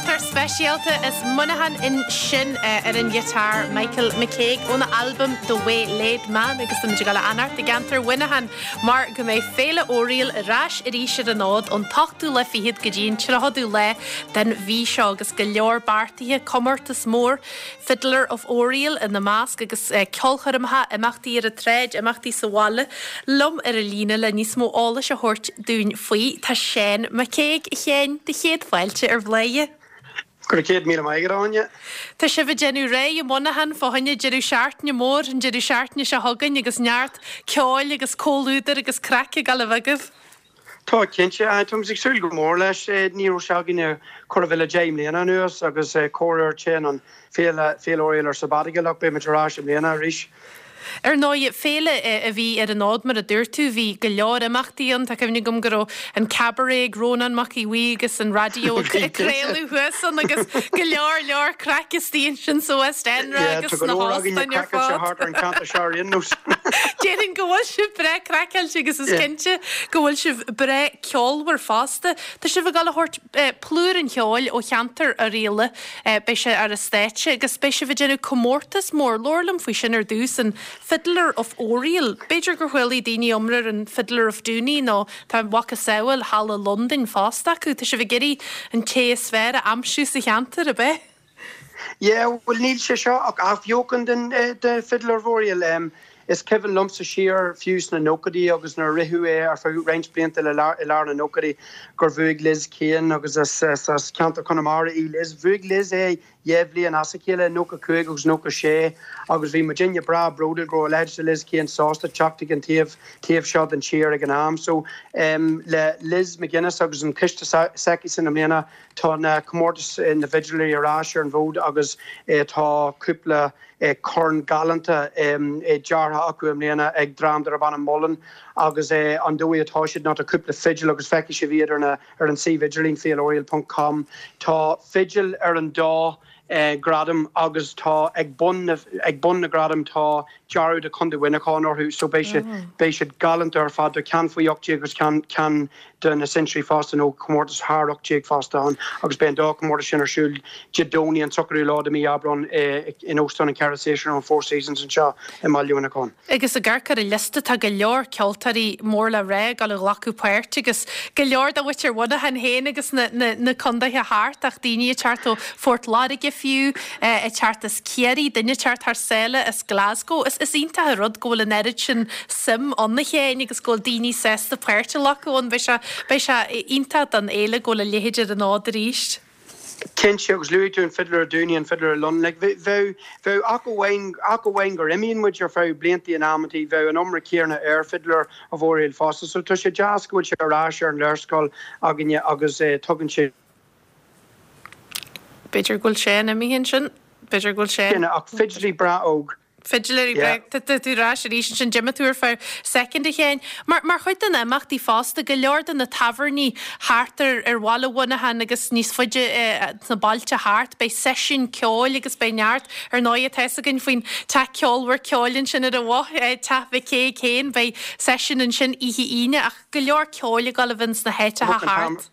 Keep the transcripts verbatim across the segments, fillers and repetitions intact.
Ceoltóir speisialta as Muineachán ansin ar an ghiotár Michael McCague óna albam The Waylaid Man agus tá go an-ard i gceantar Mhuineacháin mar go mbeidh Féile Oiriall ar ais arís ar an fhód ón t-ochtú lá fichead go dtí an tríochadú lá den mhí seo agus go leor beartaithe comórtas mór Fiddler of Oriel ina measc agus eh, ceolchoirmeacha imeachtaí ar an tsráid imeachtaí sa bhaile liom ar an líne le níos mó eolais a thabhairt dúinn faoi tá Seán McCague a Sheáin do chéad fáilte ar Bhladhaire. Go céad míle maith Áine? Tá sibh ag déanamh réidh i Muineachán fá choinne deireadh seachtaine mór an deireadh seachtaine seo chugainn agus neart ceoil agus comhluadar agus craic ag gabháil a bheith agaibh. Tá cinnte táim ag súil go mór leis ní raibh sé againne chóir a bheith le deich mbliana anuas agus corruair téann an Féile Féile Oiriall ar sabbatical ach beidh ar ais i mbliana arís. Ar ndóigh féile a bhí ar an fhód mar a dúirt tú bhí go leor imeachtaí ann tá cuimhne agam go raibh an cabaret ag Rónán Mac Aodha Bhuí agus an raidió ag craoladh thuas ann agus go leor leor craic istigh ansin sa West End agus na hóstáin ar fad. an ceantar seo Déarfainn go bhfuil sibh breá craiceáilte agus is cinnte go bhfuil sibh breá ceolmhar fosta. Tá sibh ag gabháil a thabhairt plúr an cheoil ó cheantar Oirialla beidh sé ar an stáitse agus beidh sibh ag déanamh comórtas mór labhair liom faoi sin ar dtús an Fiddler of Oriel. B'fhéidir gur chuala daoine iomrá ar an Fiddler of Dooney nó tá macasamhail Halla Londain fosta acu, Tá sibh ag iarraidh an té is fearr a aimsiú sa cheantar ab ea? Yeah, well níl sé seo ach athbheochan den uh, de Fiddler of Oriel. Um, is cuimhin liomsa siar fiú sna nóchaidí agus nuair a ritheadh é ar feadh roinnt blianta le i lár na nóchaidí gur bhuaigh Liz Kane agus as, as, as ceantar Chonamara í Liz. Bhuaigh Liz é dhá bhliain as a chéile nócha cúig agus nócha sé agus bhí muidinne breá bródúil go leid Liz Kane sásta teacht an taobh taobh seo den tír ag an am. So um, le Liz McGuinness agus an coiste s'aici san i mbliana tá na comórtas na bhfidléirí ar ais ar an bhfód agus eh, tá cúpla eh, corn galánta eh, deartha acu i mbliana ag dream darb ainm Mullen agus eh, an dóigh atá siad ná cúpla fidil agus feicfidh sibh iad ar na ar an suíomh idirlín féileoriel.com Tá fidil ar an dá eh, gradam agus tá ag bun ag bun na gradam tá dearadh de Chontae Mhuineacháin orthu so beidh sé oh. beidh siad galánta ar fad do ceann faoi ocht déag agus ceann ceann de na sinsear fosta nó comórtas thar ocht déag fosta ann agus beidh an dá comórtas sin ar siúl Dé Domhnaigh an tríochadú lá de mhí Aibreán eh, in Óstán an Ceithre Séasúr an Four Seasons anseo i mBaile Mhuineacháin. Agus ag amharc ar an liosta tá go leor ceoltóirí mór le rá ag gabháil a ghlacadh páirt agus go leor de mhuintir Mhuineacháin féin agus na, na, na contaetha thart ach daoine ag teacht ó Phort Láirge fiú ag teacht as Ciarraí, duine ag teacht thar sáile as Glasgow. Is, is iontach an rud go bhfuil an oiread sin suim ann a Sheáin agus go bhfuil daoine sásta páirt a ghlacadh ann beidh sé beidh sé iontach don fhéile go bhfuil a leithéid ar an fhód arís. Cinnte agus luaigh tú an Fiddler Dooney an Fiddler London like, bheadh bheadh ach amháin ach amháin gur imíonn muid ar feadh blianta in amantaí bheadh an iomrá céanna ar Fiddler of Oriel fosta, so tá sé deas go bhfuil sé ar ais ar an léarscáil againne agus eh, tugann sé B'fhéidir go bhfuil sé imithe sin B'fhéidir go bhfuil sé ach fidléirí breá óg. Fidléirí tú ar ais arís sin d'imigh tú ar feadh soicind a Sheáin. Mar mar chuid den imeachtaí fosta go leor de na tábhairní thart ar ar bhaile Mhuineacháin agus níos faide sna bailte thart, beidh seisiún ceoil agus beidh neart ar ndóigh tá a fhios againn faoin teach ceolmhar ceoil ansin ar an Bhoth Teach Mhic Céin, beidh seisiún ansin oíche Aoine ach go leor ceoil ag gabháil a bheith sna háiteacha thart.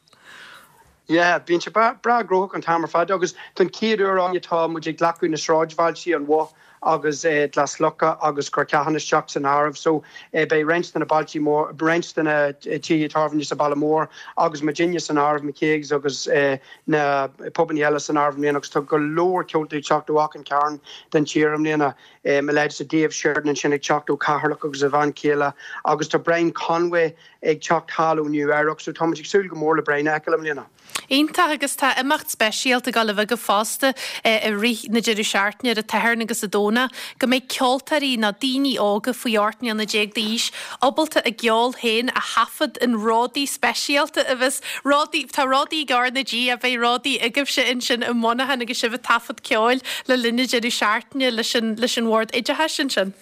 Yeah, bíonn sé breá gnóthach an t-am ar fad agus don chéad uair tá muid ag glacadh na sráidbhailte an Bhoth agus eh, Glas Locha agus Corcahan isteach san áireamh so eh, beidh roinnt de na bailte mór roinnt de na tithe tábhairne sa baile mór agus muidinne san áireamh McCagues agus eh, na pubanna eile san áireamh i mbliana agus tá go leor ceoltóirí teacht ó achan cearn den tír i mbliana eh, me leid sa Dave Sheridan sin ag teacht ó Cheatharlach agus a bhean chéile agus tá Brian Conway ag teacht thall ó Nua-Eabhrac so tá ag súil go mór le Brian a fheiceáil i mbliana. Iontach agus tá imeacht speisialta ag gabháil a bheith agaibh fosta i rith na deireadh seachtaine ar an Satharn agus an Domhnach, go mbeidh ceoltóirí nó daoine óga faoi ocht mbliana déag d'aois ábalta a gceol féin a thaifead in ródaí speisialta a bheas ródaí tá ródaí ag R na G a bheidh ródaí agaibhse ansin i Muineachán agus sibh ag taifead ceoil le linn na deireadh seachtaine leis an leis an Bhord Oideachais ansin.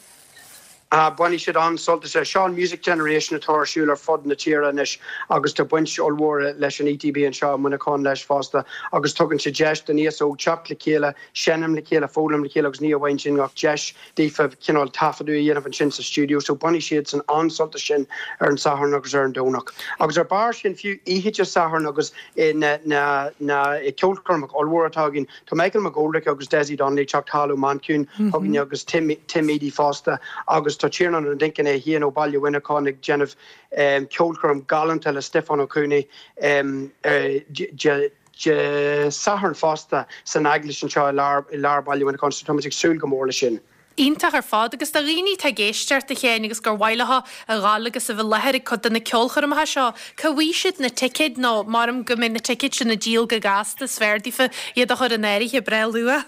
Bainfidh siad an-sult as. Seo an Music Generation atá ar siúl ar fud na tíre anois agus tá baint ollmhór leis an ETB anseo i Muineachán leis fosta agus tugann sé deis don aos óg teacht le chéile, seinm le chéile, foghlaim le chéile agus ní amháin sin ach deis daofa cineál taifeadadh a dhéanamh ansin sa stiúideo, so bainfidh siadsan an-sult as sin ar an Satharn agus ar an Domhnach. Agus ar barr sin fiú oíche Dé Sathairn agus na na na ceolchoirmeacha ollmhór atá againn, tá Michael McGoldrick agus Dessie Donnelly ag teacht thall ó Manchain chugainne agus Tim Tim Edey fosta agus tá Tiarnán Ó Duinnchinn é féin ó Baile Mhuineacháin ag déanamh um, ceolchoirm galánta le Stiofán Ó Cuanaigh um, uh, Dé Sathairn fosta san eaglais anseo i lár i lár Baile Mhuineacháin, so táimid ag súil go mór leis sin. Iontach ar fad agus do dhaoine atá ag éisteacht a Sheáin agus gur mhaith leo a ghabháil agus a bheith i láthair ag cuid de na ceolchoirmeacha seo, cá bhfaighidh siad na ticéid nó maram go mbeidh na ticéid sin á ndíol go gasta is fearr daofa iad a chur in áirithe breá luath.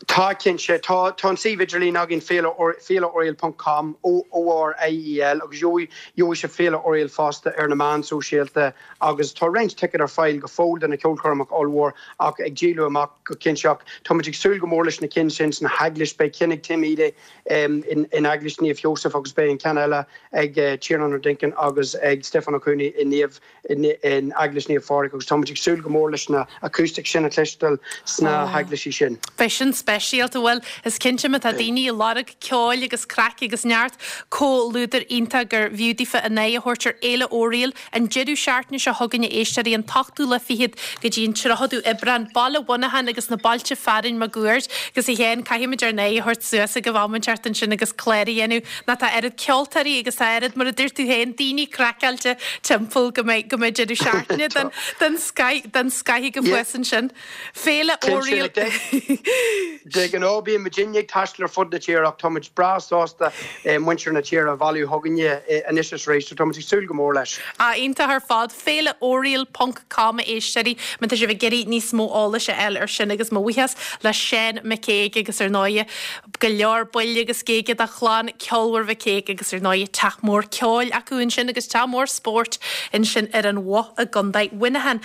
Tá cinnte tá tá an suíomh idirlín againn féileoriel.com ORIEL agus gheobhaidh sibh Féile Oriel fosta ar na meáin sóisialta agus tá roinnt ticéad ar fáil go fóill do na ceolchoirmeacha ollmhór ach ag díol amach go cinnte Táimid ag súil go mór leis na cinn sin sna heaglaisí beidh ceann ag Tim Edey um, in, in eaglais Naomh Joseph agus beidh an ceann eile ag uh, Tiarnán Ó Duinnchinn agus ag Stiofán Ó Cuanaigh in Naomh in, in eaglais Naomh Phádraig agus táimid ag súil go mór leis na acoustic sin a chloisteáil sna oh. heaglaisí sin. Beidh sin speisialta bhuel is cinnte má tá daoine ag lorg ceoil agus craic agus neart comhluadar iontach gur bhfiú daofa a n-aghaidh a thabhairt ar Fhéile Oriel an deireadh seachtaine seo chugainn a éisteoirí an t-ochtú lá fichead go dtí an tríochadú Aibreán Baile Mhuineacháin agus na bailte fearainn máguaird agus a Sheáin caithfimid ár n-aghaidh a thabhairt suas ag am inteacht ansin agus clár a dhéanamh ná tá oiread ceoltóirí agus tá oiread mar a dúirt tú féin daoine craiceáilte timpeall go mbeidh go mbeidh deireadh seachtaine den den scoth den scoth go fuas ansin. Féile Oriel. De ghnáth bíonn muidinne ag taisteal ar fud na tíre ach táimid breá sásta muintir na tíre a bhailiú chugainne anois is arís, táimid ag súil go mór leis. A iontach ar fad féile oriel.com éisteoirí má tá sibh ag iarraidh níos mó eolais a fháil ar sin agus mo bhuíochas le Seán McCaig agus ar ndóigh go leor buille agus géige de chlann ceolmhar McCaig agus ar ndóigh teach mór ceoil acu ansin agus teach mór spóirt ansin ar an Bhoth i gContae Mhuineacháin.